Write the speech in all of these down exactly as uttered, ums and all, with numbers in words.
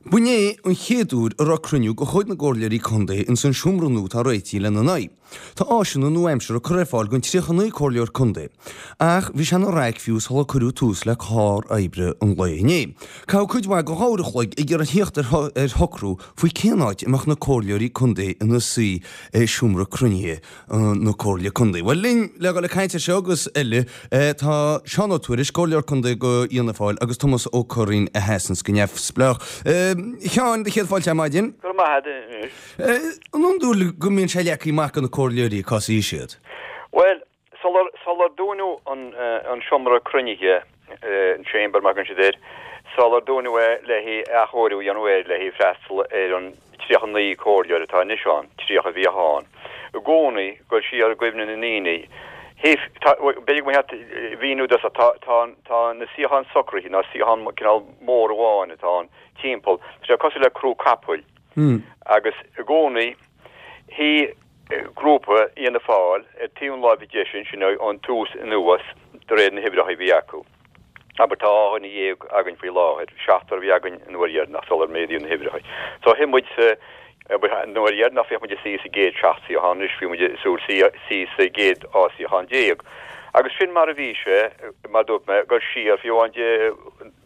B'inné an chéad uair a raibh cruinniú de chuid na gcomhairleoirí contae ins an seomra nua atá réitithe lena n-aghaidh. Tá áiseanna nua-aimseartha curtha ar fáil don tríocha naoi comhairleoir contae, ach bhí sé ina raic fiú sular cuireadh tús le clár oibre an lae inné. Caitheadh cuid mhaith de dhá uair a chloig ag iarraidh theacht ar shocrú faoi cén áit a mbeadh na comhairleoirí contae ina suí i seomra cruinnithe na Comhairle Contae. Bhuel linn le dhul ag caint ar seo agus eile tá Seán Ó Tuairisg, Comhairleoir Contae do Fhianna Fáil agus Tomás Ó Curraoin a sheasanns go neamhspleách. A Sheáin, do chéad fáilte ar maidin. Go raibh maith agat. An iondúil go mbíonn sé leagtha amach do na comhairleoirí cá suífidh siad? Bhuel, sular, sular dúnadh an, an seomra cruinnithe, an chamber mar a thugann siad air, sular dúnadh é le haghaidh athchóiriú a dhéanamh air le haghaidh freastal ar an tríocha naoi comhairleoir atá anois ann, tríocha a bhíodh ann i gcónaí, ag dul siar i gcuimhne na ndaoine. Thaobh, b'fhéidir go mba cheart mhíniú duit, tá, tá, tá na suíocháin socraithe, ná suíochán cineál mór amháin atá ann timpeall, tá sé cosúil le crú capaill agus i gcónaí shuigh grúpa Fhianna Fáil ar taobh na láimhe deise ansin ón tús anuas de réir na huimhreacha a bhí acu. Abair, tá dhá dhuine dhéag againn faoi láthair, seachtar a bhí againn an uair dheireanach sular méadaíodh na huimhreacha. So shuigh muid sa, abair, an uair dheireanach bhíodh muid ag suí sa gcéad seacht suíochán, anois bhí muid ag súil suí sa gcéad dhá suíochán déag. Agus sin mar a bhí sé, mar a dúirt mé, ag dul siar fiú amháin Dé,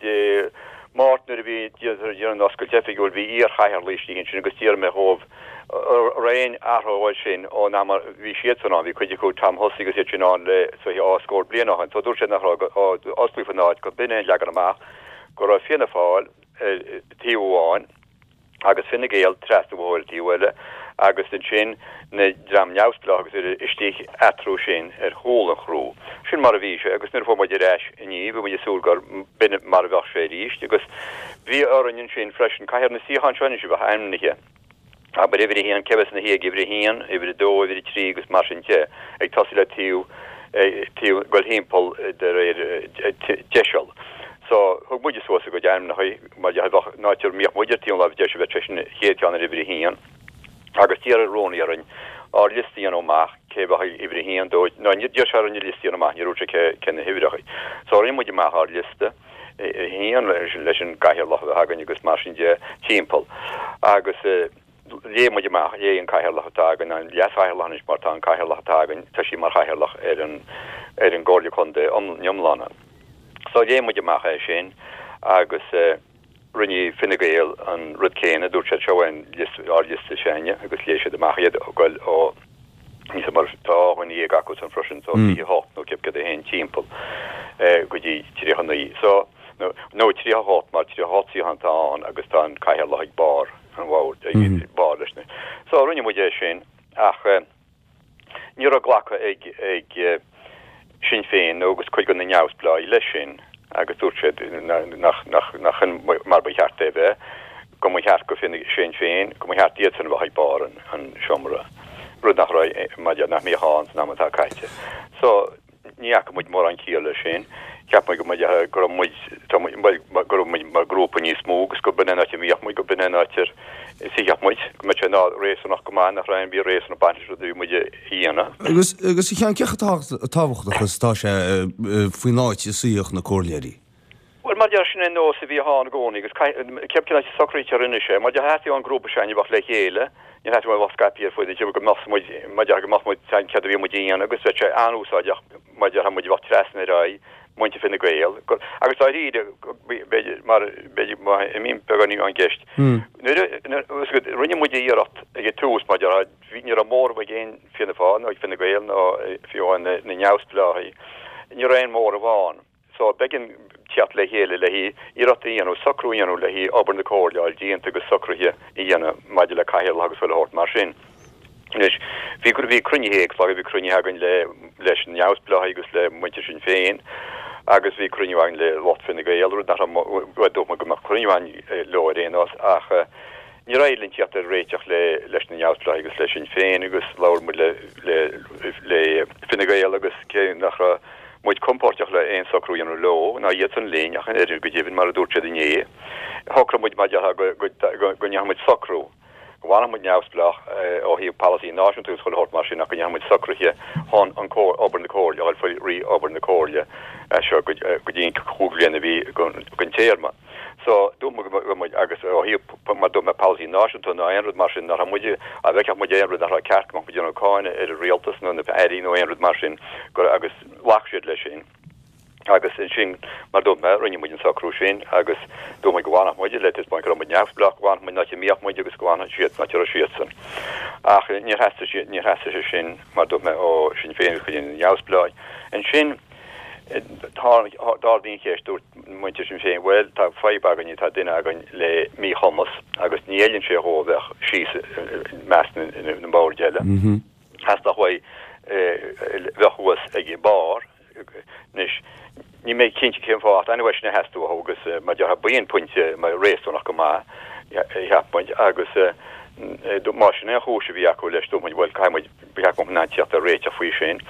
Dé Máirt nuair a bhí déanamh an oscailt oifigiúil, bhí iar-chathaoirligh istigh ansin agus d'iarr mé dhóibh an raibh aon athrú air sin ón am a bhí siadsan ann. Bhí cuid acu, Tom Hussey agus iad sin ann le is dóiche dhá scór bliain ó shin. So dúirt siad nach raibh, osclaíodh an áit, gurb in é an leagan amach, go raibh Fianna Fáil ar taobh amháin agus Fine Gael trasna an bhóthair ar taobh eile agus ansin na dream neamhspleách agus uile istigh eatarthu sin ar chúl an chrú. Sin mar a bhí sé agus nuair a fuair muid ar ais inniu bhí muid ag súil gur b'in mar a bheadh sé arís agus bhí orainn ansin freisin caithfidh na suíocháin seo anois a bheith ainmnithe. Abair uimhir a haon, cé bheas ina shuí ag uimhir a haon, uimhir a dó, uimhir a trí agus mar sin de, ag tosaí le taobh, taobh, ag dul thimpeall de réir deiseal. So, thug muide suas a gcuid ainmneacha, mar dhea, bheadh, an áit a mbíodh muid ar taobh na láimhe deise, bheadh seisean an chéad cheann ar uimhir a haon. Agus d'iarr an rúnaí orainn ár liosta a dhéanamh amach, cé bheadh ag uimhir a haon, dó, nó d'iarr sé orainn an liosta a dhéanamh amach, níor dhúirt sé cé, cé na huimhreacha. So, rinne muid amach ár liosta. a haon leis an gcathaoirleach a bheith againn agus mar sin de timpeall. Agus léigh muid amach, léigh an cathaoirleach atá againn, an leas-chathaoirleach anois mar tá an cathaoirleach atá againn, tá sí mar chathaoirleach ar an ar an gComhairle Contae iomlán. So léigh muid amach é sin agus rinne Fine Gael an rud céanna, dúirt siad seo é an liosta, ár liosta s'againne agus léigh siad amach iad ag goil ó Níos mar tá dhá dhuine dhéag acusan freisin so fiche hocht nó cibé céard é féin timpeall go dtí tríocha naoi so nó tríocha hocht mar tríocha hocht suíochán atá ann agus tá an cathaoirleach ag barr an bhoird ag barr leis na so rinne muid é sin ach ní raibh glactha ag ag Sinn Féin nó agus cuid de na neamhspleáigh leis sin agus dúirt siad nach nach nach in mar ba cheart é bheith, go mba cheart go Sinn Féin, go mba cheart iadsan a bheith ag barr an an seomra, rud nach raibh, mar nach mbíodh ann san am atá caite. So, ní fhaca muid mórán ciall leis sin. Cheap muid go mba go raibh muid, tá muid, bhuel, go raibh muid mar ghrúpa níos mó agus go b'in é an áit a mbíodh muid, go b'in é an áit ar suífeadh muid, go mbeadh sé ná réasúnach go maith, nach raibh aon bith réasúnach ag baint leis an rud a bhí muid a dhéanamh. Agus, agus a Sheáin, cé chomh tábhachtach is atá sé faoin áit a suífeadh na comhairleoirí? Bhuel, mar deir, sin é an nós a bhíodh ann i gcónaí agus cé cén áit a socraítear anois é, mar theastaigh ón ngrúpa s'againne a bheadh le chéile, níor theastaigh uainn a bheadh scaipthe ar fud an tí, go mbeadh muid, mar deir, go mbeadh muid, céard a bhí muid a dhéanamh agus bheadh sé an-úsáideach, mar déarfá, muid a bheadh trasna ar aghaidh muintir Fine Gael, agus dáiríre, b'fhéidir, mar, b'fhéidir, má imím beagáinín ón gceist, nuair a, rinne muid iarracht ag an tús, mar déarfá, bhí, ní raibh móramh ag aon Fianna Fáil nó ag Fine Gael ná fiú amháin na neamhspleáigh, ní raibh aon mhóramh ann. So, b'éigean teacht le chéile le haghaidh iarracht a dhéanamh, socrú a dhéanamh le haghaidh obair na Comhairle a fháil déanta agus socruithe a dhéanamh maidir le cathaoirleach agus chuile shórt mar sin. Anois, bhí, bhí cruinnithe éagsúla, bhí cruinnithe againn le, leis na neamhspleáigh agus le muintir Sinn Féin agus bhí cruinniú againn le lucht Fine Gael, rud nach raibh, bhuel, dúirt muid go mbeadh cruinniú againn leo ar aon nós ach níor éirigh linn teacht ar réiteach le, leis na neamhspleáigh agus le Sinn Féin agus labhair muid le, le, le Fine Gael agus cé nach raibh muid compóirteach le aon socrú a dhéanamh leo, ná iadsan linn, ach an oiread go deimhin, mar a dúirt siad inné. Shocraigh muid, mar déarfá, go ndéanfadh muid socrú, go bhfanfadh muid neamhspleách ó thaobh polasaí náisiúnta agus chuile shórt mar sin ach go ndéanfadh muid socruithe chun an obair na Comhairle, a dhul faoi rith obair na Comhairle as seo go dtí an cúig bliana a bhí den téarma. So dúirt muid go raibh muid agus ó thaobh mar dúirt mé polasaí náisiúnta nó aon rud mar sin nach raibh muid a bhfeicfeadh muid aon rud nach raibh ceart go mbeadh muid ag déanamh cáineadh ar an rialtas nó na airí nó aon rud mar sin go agus ghlac siad leis sin. Agus ansin mar dúirt mé rinne muid an socrú sin agus dúirt muid go bhfanfadh muid le taispeáint go raibh muid neamhspleách go bhfanfadh muid an áit a mbíodh muid agus go bhfanfadh siad an áit a raibh siadsan. Ach níor theastaigh sé níor theastaigh sé sin mar dúirt mé ó Sinn Féin agus cuid de na neamhspleáigh. Ansin D'ardaigh an cheist, dúirt muintir Sinn Féin, bhuel, tá fadhb againn, tá duine againn le míchumas agus ní fheileann sé dhó a bheith síos i measc na mboird eile. Theastódh uaidh bheith thuas ag barr. Anois, níl mé cinnte cén fáth, ach anyway, sin a theastaigh uathu agus mar déarfá b'in pointe réasúnach go maith, cheap muid, agus más sin é an chúis a bhí acu leis, dúirt muid, bhuel, caithfidh muid, ba cheart go mbeadh muid in ann teacht ar réiteach faoi sin.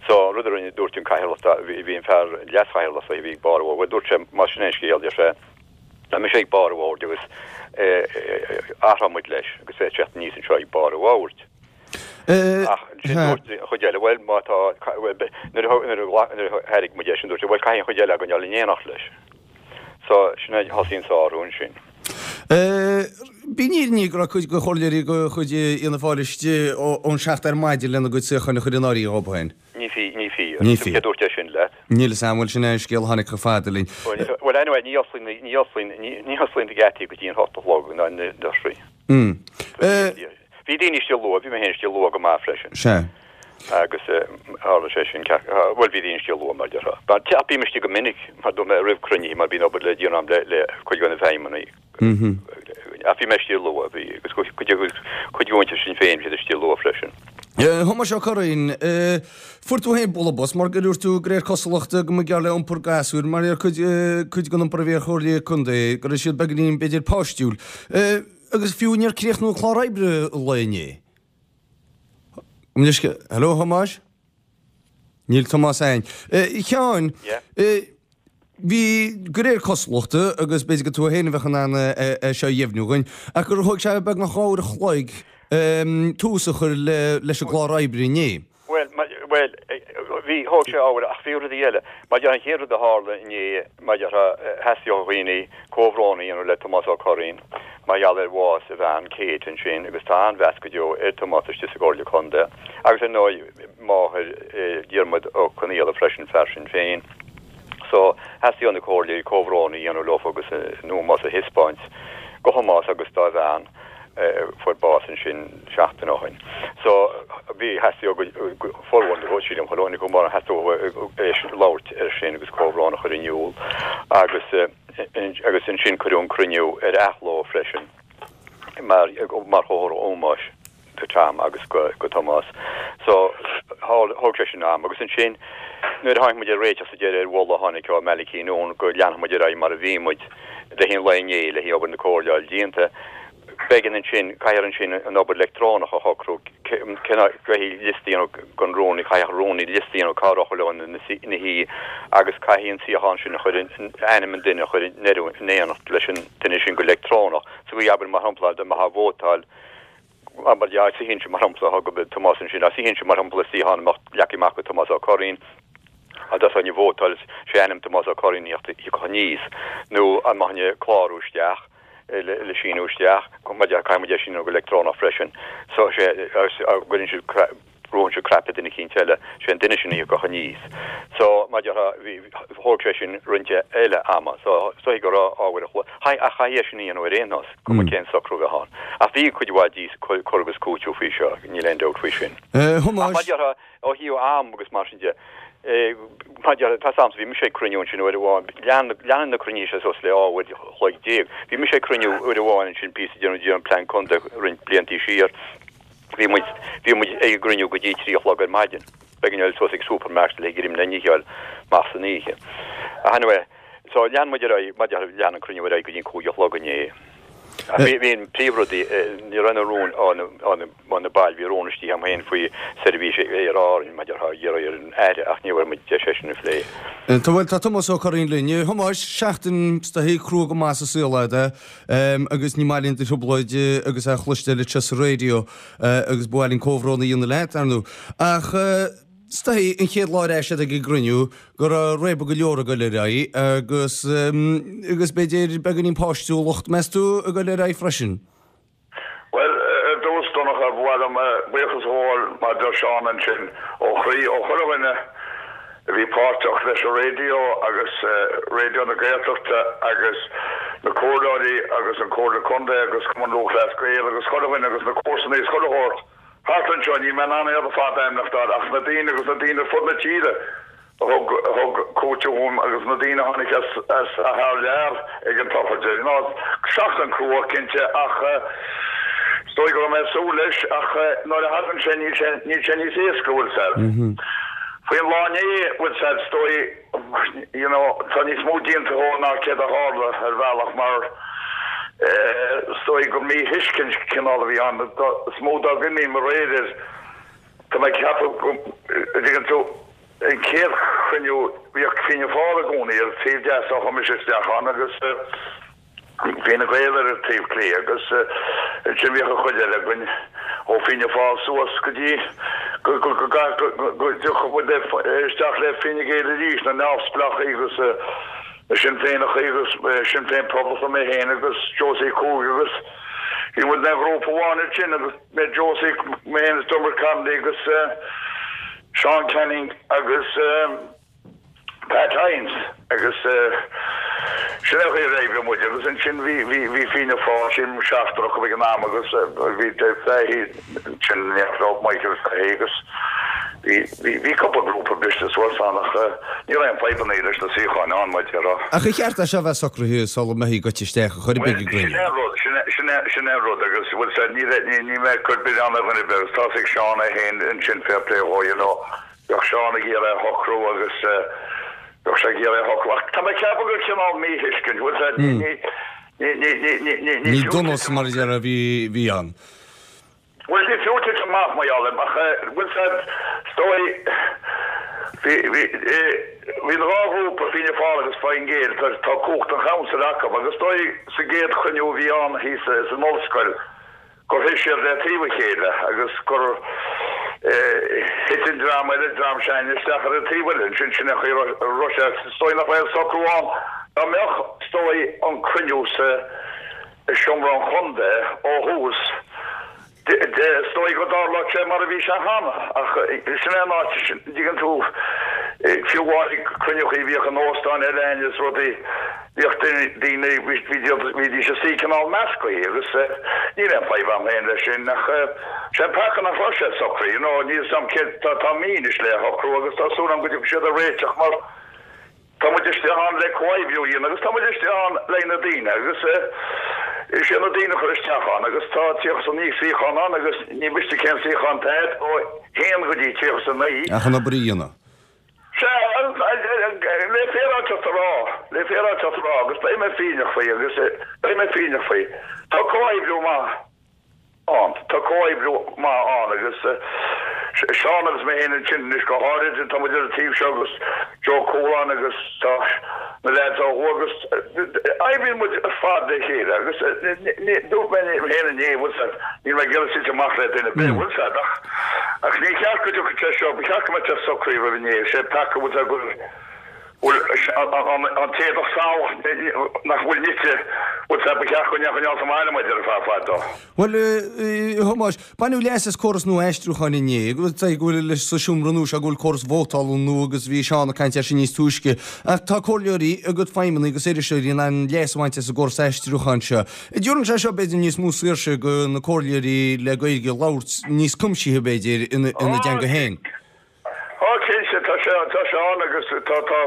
So, an rud a rinne, dúirt an cathaoirleach, bhí an fear, leas-chathaoirleach, a bhí ag barr an bhoird, bhuel, dúirt sé, más sin é an scéal, deir sé, beidh mise ag barr an bhoird agus athróidh muid leis agus é teacht aníos anseo ag barr an bhoird. Ach ansin dúirt an chuid eile, bhuel, má tá, nuair a thairg muid é sin, dúirt sé, bhuel, caithfidh an chuid eile againn dul in éineacht leis. So, sin é, thosaigh an sárú ansin. B'in fhírinne go raibh cuid de chomhairleoirí de chuid Fhianna Fáil istigh ón seacht ar maidin lena gcuid suíocháin a chur in áirithe dhóibh féin. Ní fíor, ní fíor. Ní fíor. Cé dúirt é sin leat? Níl fhios a'm, bhuel sin é an scéal a tháinig chomh fada linn. Bhuel anyway, ní osclaíonn, ní osclaíonn, ní osclaíonn na geataí go dtí an hocht a chlog ná na doirse. Bhí daoine istigh luath, bhí mé féin istigh luath go maith freisin. Sea. Agus tharla sé sin, bhuel bhí daoine istigh luath mar déarfá. Ach bím istigh go minic, mar dúirt mé roimh cruinnithe mar bíonn obair le déanamh agam le cuid de na feidhmeannaigh. Ach bhí mé istigh luath, bhí, agus cuid de mhuintir Sinn Féin, bhí siad istigh luath freisin. A Thomáis Ó Curraoin, fuair tú féin bualadh bos mar gur dhúirt tú, de réir cosúlachta, go mba ghearr le iompar gasúir, mar ar cuid, cuid den iompar a bhí ar chomhairleoirí contae, go raibh siad beagáinín, b'fhéidir, páistiúil. Agus fiú níor críochnú an clár oibre an lae inné. Hello, Thomáis? Níl Tomás againn. A Sheáin, bhí, de réir cosúlachta, agus b'fhéidir gur tú féin a bheadh in ann é seo a dheimhniú dhúinn, ach gur thóg sé beagnach dhá uair a chloig tús a chur leis an gclár oibre inné. Bhuel, bhuel, bhí, thóg sé uair, ach bhí rudaí eile. Mar an chéad rud a tharla inné, mar a déarfá, theastaigh ó dhaoine comhbhrón a dhéanamh le Tomás Ó Curraoin mar gheall ar bhás a bhean, Kate, ansin, agus tá an-mheas go deo ar Thomás istigh sa gComhairle Contae, agus ar ndóigh máthair Diarmuid Ó Conaola freisin, fear Sinn Féin. So, theastaigh ó na comhairleoirí comhbhrón a dhéanamh leofa agus a n-ómós a thaispeáint go Thomás agus dá bhean. fuair bás ansin seachtain ó shin. So bhí, theastaigh ó formhór na, sílim, chuile dhuine go mór, theastaigh uathu labhairt air sin agus comhbhrón a chur in iúl agus agus ansin cuireadh an cruinniú ar athló freisin mar mar chomhartha ómóis do Tom agus go go Tomás. So thóg sé sin am agus ansin nuair a tháinig muid ar réiteach sa deireadh ar mholadh a tháinig ó Malachy Noone go leanfadh muid ar aghaidh mar a bhí muid le haghaidh an lae inné le haghaidh obair na comhairle a fháil déanta, B'éigean ansin, caithfear ansin an obair leictreonach a shocrú, caithfidh liosta a dhéanamh don rúnaí, caithfidh an rúnaí liosta a dhéanamh cá raibh chuile dhuine ina shuí agus caithfidh an suíochán sin a chur in, ainm an duine a chur in in éineacht leis an duine sin go leictreonach. Sa gcaoi, abair, mar shampla, dá mbeifeá ag vótáil, abair, dá suífinnse, mar shampla, thug Tomás ansin, dá suífinnse, mar shampla, i suíochán a mbeadh leagtha amach go Tomás Ó Curraoin, dá dtosóinn ag vótáil, sé ainm Tomás Ó Curraoin a thiocfadh aníos, nó an mbeifinn ag clárú isteach. le síniú isteach, caithfidh muid é síniú go leictreonach freisin. So sé, gcuireann siad, brúann siad cnaipe duine eicínt eile, sé an duine sin a thiocfadh aníos. So, mar a déarfá, bhí, thóg sé sin roinnt eile ama. So, is dóigh go raibh dhá uair a chloig, ach chaithfí é sin a dhéanamh ar aon nós, cuma cén socrú a bheadh ann. Ach bhí cuid mhaith díos, cur agus cúiteamh faoi seo, níl aon dabht faoi sin. Ach mar a déarfá, Ó thaobh am agus mar sin de, mar a déarfá, tá 's a'msa, bhí mise ag cruinniú ansin uair amháin, lean, leanann na cruinnithe seo suas le dhá uair a chloig déag. Bhí mise ag cruinniú uair amháin ansin píosa ag déanamh, déanamh plean contae roinnt bliantaí siar. Bhí muid, bhí muid ag an gcruinniú go dtí trí a chlog ar maidin. B'éigean dul suas ag supermarket le greim le n-ithe a fháil amach san oíche. Ach anyway, so lean muid ar aghaidh, mar a déarfá, lean an cruinniú ar aghaidh go dtí an cúig a chlog inné. Ach bhí, bhí an príomhrud, ní raibh na rúin ó na, ó na, ó na baill, bhí rún istigh agam féin faoi seirbhís Aer Árann, mar a déarfá, ag iarraidh ar an Aire ach ní bhfuair muid deis é sin a phlé. Tá, bhuel, tá Tomás Ó Curraoin linn. A Thomáis, seachtain is dóichí crua go maith sa saol agat, agus ní maith linn do thrioblóid agus é a chloisteáil anseo sa raidió agus ba mhaith linn comhbhrón a dhéanamh leat, ar ndóigh. Ach. Is dóigh, an chéad lá ar ais ag an gcruinniú go raibh réabadh go leor ag dul ar aghaidh agus agus b'fhéidir beagáinín páistiúlacht, meas tú, ag dul ar aghaidh freisin? Bhuel, ar dtús, Donncha, ba mhaith liom buíochas a ghabháil, mar a deir Seán ansin, ó chroí, ó chuile dhuine a bhí páirteach leis an raidió agus Raidió na Gaeltachta agus na comhairleoirí agus an Comhairle Contae agus Cumann Lúthchleas Gael agus chuile dhuine agus na comharsana is chuile shórt thart anseo, níl mé in ann iad ar fad a ainmneachtáil ach na daoine agus na daoine ar fud na tíre a thug a thug cúiteamh dhom agus na daoine a tháinig as as thar lear ag an tsochraid. You know, seachtain crua cinnte ach is dóigh go raibh mé ag súil leis ach nuair a thagann sé níl sé níl sé níos éasca, bhfuil 's a'd. Faoin lá inné, bhfuil 's a'd, is dóigh you know tá níos mó déanta dhó ná céard a tharla ar bhealach mar Is dóigh gur míthuiscint cineál a bhí ann. Is mó dá gcuimhním aréir air, tá mé ag ceapadh go dtuigeann tú, an chéad chruinniú, bhíodh Fianna Fáil i gcónaí ar an taobh deas ó chuaigh mise isteach ann agus Fine Gael ar an taobh clé agus ansin bhíodh an chuid eile againn ó Fianna Fáil suas go dtí go go dtiocfadh muid isteach le Fine Gael arís, na neamhspleáchaí agus Na Sinn Féineachaí agus Sinn Féin Poblachtach mé féin agus Josie Cooke agus bhí muid ina ghrúpa amháin ansin agus mé Josie, mé féin is Dermot Connolly agus Seán Canning agus Pat Hynes agus sin é an chaoi ar oibrigh muid agus ansin bhí bhí bhí Fianna Fáil sin seachtar acu ag an am agus bhí Dave Fahy ansin Michael Fahy agus Bhí cúpla grúpa briste suas ann ach ní raibh aon fadhbanna leis na suíocháin ann, mar a déarfá. Ach ar cheart é seo a bheith socraithe sula mbeifí goite isteach ar chor ar bith ag an gcruinniú? Sin é an rud, sin é an rud agus bhfuil 's a'd, ní mé ag cur milleán ar dhuine ar bith agus tá's ag Seán é féin ansin fair play dhó, you know, bheadh Seán ag iarraidh a shocrú agus bheadh sé ag iarraidh a shocrú ach tá mé ag ceapadh gur cineál míthuiscint, bhfuil 's a'd, ní, ní, ní, ní, ní, ní, ní Ní donas mar a déarfá a bhí ann. Bhuel, ní fiú titim amach mar gheall air, ach bhfuil 's a'd, is dóigh, bhí, bhí, bhí an dhá ghrúpa, Fianna Fáil agus Fine Gael, tá, tá cumhacht an chaunsail acu, agus is dóigh sa gcéad chruinniú a bhí ann thíos san ollscoil, gur shuigh siad le taobh a chéile agus gur thit an dream eile, dream s'againne, isteach ar an taobh eile. Ansin, sin é an chaoi a raibh sé. Is dóigh nach raibh aon socrú ann. Dá mbeadh, is dóigh, an cruinniú sa seomra an chontae ó thús, Is dóigh go dtarlódh sé mar a bhí sé cheana, ach sin é an áit, an dtuigeann tú, fiú amháin ag cruinniúchaí a bhíodh in óstáin eile againn is rudaí, bhíodh daoine, bhídís ag suí cineál meascaí agus níl aon fadhb agam féin leis sin ach sé an peaca nach raibh sé socraithe, you know, níl 'fhios a'm céard, tá mí anois le shocrú agus tá súil agam go dtiocfaidh siad ar réiteach mar Tá muid istigh ann le comhoibriú a dhéanamh agus tá muid istigh ann le na daoine agus is é na daoine a chur isteach ann agus tá tríocha is a naoi suíochán ann agus ní miste cén suíochán atá agat ó haon go dtí tríocha is a naoi. Ach an obair a dhéanamh. Sea, le féaráilteacht a rá, le féaráilteacht a rá agus beidh mé fírinneach faoi agus beidh mé fírinneach faoi, tá comhoibriú maith. ann. Tá comhoibriú maith ann agus Seán agus mé féin ansin anois go háirid, tá muid ar an taobh seo agus Joe Coulon agus tá na leaids ó thuaidh agus oibríonn muid ar fad le chéile agus dúirt mé féin inné, bhfuil 's a'd, níl mé ag iarraidh titim amach le duine ar bith, bhfuil 's a'd, ach ach ní cheart go dtiocfadh sé seo, ba cheart go mbeadh sé socraithe roimh inné, sé peaca, bhfuil 's a'd, go bhfuil an t-éadach salach nach bhfuil nite, bhfuil 's a'd, ba cheart go ndéanfadh an sa mbaile muid ar feadh fada. Bhuel, a Thomáis, baineadh leas as córas nua aistriúcháin inné, go bhfuil leis sa seomra nua seo, go bhfuil córas vótála nua agus bhí Seán ag caint air sin níos túisce. Ach tá comhairleoirí a gcuid feidhmeannaigh agus iriseoirí in ann leas a bhaint as an gcóras aistriúcháin seo. An dtabharann sé seo b'fhéidir níos mó saoirse do na comhairleoirí le Gaeilge labhairt níos cuimsithe b'fhéidir ina dteanga féin? Á cinnte, tá sé, tá sé ann agus tá, tá,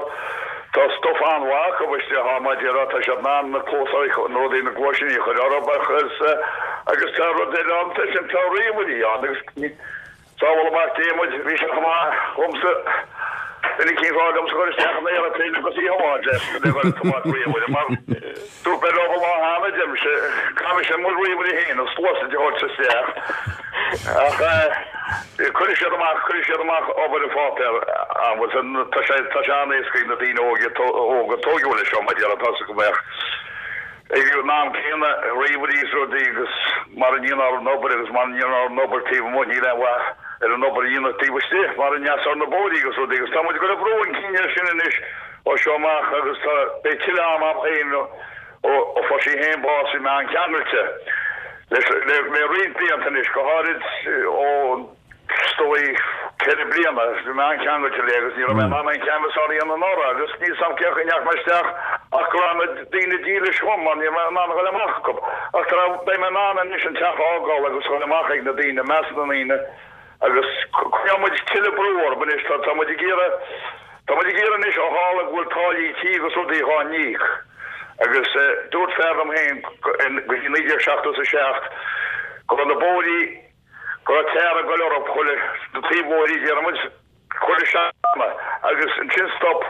tá stuif an-mhaith acu istigh ann mar a déarfá, tá siad in ann na cluasáin, na rudaí, na gluaisíní a chur orthu agus, agus tá rud eile ann freisin, tá ríomhairí ann agus sábhála Mac Dé muid, bhí sé chomh maith dhomsa, duine eicínt a rá liomsa chur isteach in aeroplane agus í a thiomáint le, le dhul ag tiomáint ríomhaire mar dúirt mé leo an lá cheana, deirimse, caithfidh mise mo ríomhaire féin an sluasaid a thabhairt isteach ach eh, Cuirfidh siad amach, cuirfidh siad amach obair an pháipéir an bhfuil san, tá sé, tá sé an-éasca ag na daoine óga, óga tóigeadh leis seo mar a déarfá, tá's agam ach ag an am céanna ríomhairí is rudaí agus mara ndéanfar an obair agus mara ndéanfar an obair taobh amuigh níl aon mhaith ar an obair a dhéanamh taobh istigh mar an ndeas ar na bóithrí agus rudaí agus tá muid ag cur brú chun cinn air sin anois ó seo amach agus tá beidh tuilleadh ann am féin ó ó fuair sí féin bás bhí mé an-cheangailte leis le le roinnt blianta anois go háirid ó is dóigh ceithre bliana bhí mé an-cheangailte léi agus ní raibh mé in ann an canvass a dhéanamh anuraidh agus níl 's a'm cén chaoi a ndeachaigh mé isteach ach go raibh na daoine dílis dhom mar ní raibh mé in ann a dhul amach acu. Ach tá beidh mé in ann anois an teach a fhágáil agus a dhul amach ag na daoine, i measc na ndaoine agus coinneoidh muid tuilleadh brú orthu anois. Tá tá muid ag iarraidh tá muid ag iarraidh anois ó tharla go bhfuil táillí tí agus rudaí dhá n-íoc agus dúirt fear liom féin go dtí naoi déag seachtó is a seacht go raibh na bóithrí go raibh tar ag goil orthu chuile na taobh-bhóithrí déarfaidh muid chuile seachtain agus ansin stop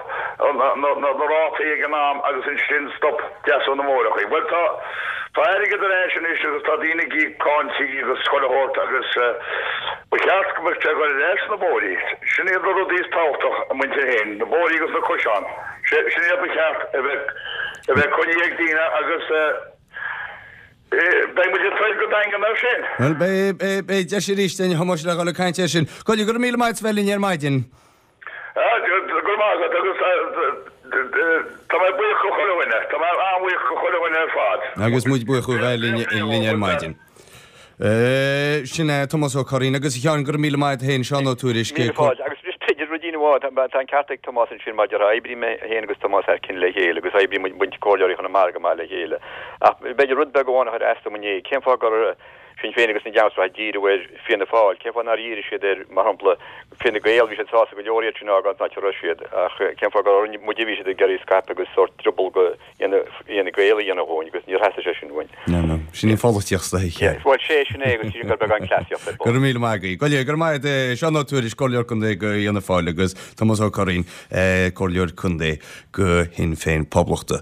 na rátaí ag an am agus ansin stop deasú na mbóithreachaí. Bhuel tá tá airgead ar ais anois agus tá daoine ag íoc cáin tí agus chuile shórt agus ba cheart go mbeadh sé ag goil ar ais sna bóithrí. Sin iad na rudaí is tábhachtach a muintir féin, na bóithrí agus na coiseáin. Sin iad ba cheart a bheith a bheith coinnithe ag daoine agus Beidh muid ag troid go daingean air sin. Bhuel, beidh deis arís againn, a Thomáis, le dhul ag caint air sin. Go raibh míle maith agat as bheith linn ar maidin. Go raibh maith agat agus tá mé buíoch go chuile dhuine. Tá mé an-bhuíoch go chuile dhuine ar fad. Agus muid buíoch ó bheith linn ar maidin. Sin é Tomás Ó Curraoin agus a Sheáin, go raibh míle maith agat féin, Seán Ó Tuairisg. Míle fáilte. Agus b'fhéidir ruidín amháin, tá an ceart ag Tomás ansin maidir le oibríonn mé féin agus Tomás thar cionn le chéile agus oibríonn muid muintir Comhairleoirí Chonamara go maith le chéile. Ach b'fhéidir rud beag amháin a chuir as dom inné, cén fáth gur Sinn Féin agus na Geanmsraithe ag díriú ar Fianna Fáil, cén fáth nár dhírigh siad ar, mar shampla, Fine Gael, bhí siad sásta go leor iad sin a fhágáil san áit a raibh siad, ach cén fáth gur orainn muide a bhí siad ag iarraidh scaipeadh agus sórt drioball go Fhine Gael a dhéanamh dhúinn agus níor theastaigh sé sin uainn. No, no. Sin í an pholaitíocht sa oíche. Bhuel, sé sin é agus sin gur beagán cleasaíocht ar bun. Go raibh míle maith agaibh. Go raibh maith agat, Seán Ó Tuairisg, Comhairleoir Contae go Fhianna Fáil agus Tomás Ó Curraoin, Comhairleoir Contae go Shinn Féin Poblachta.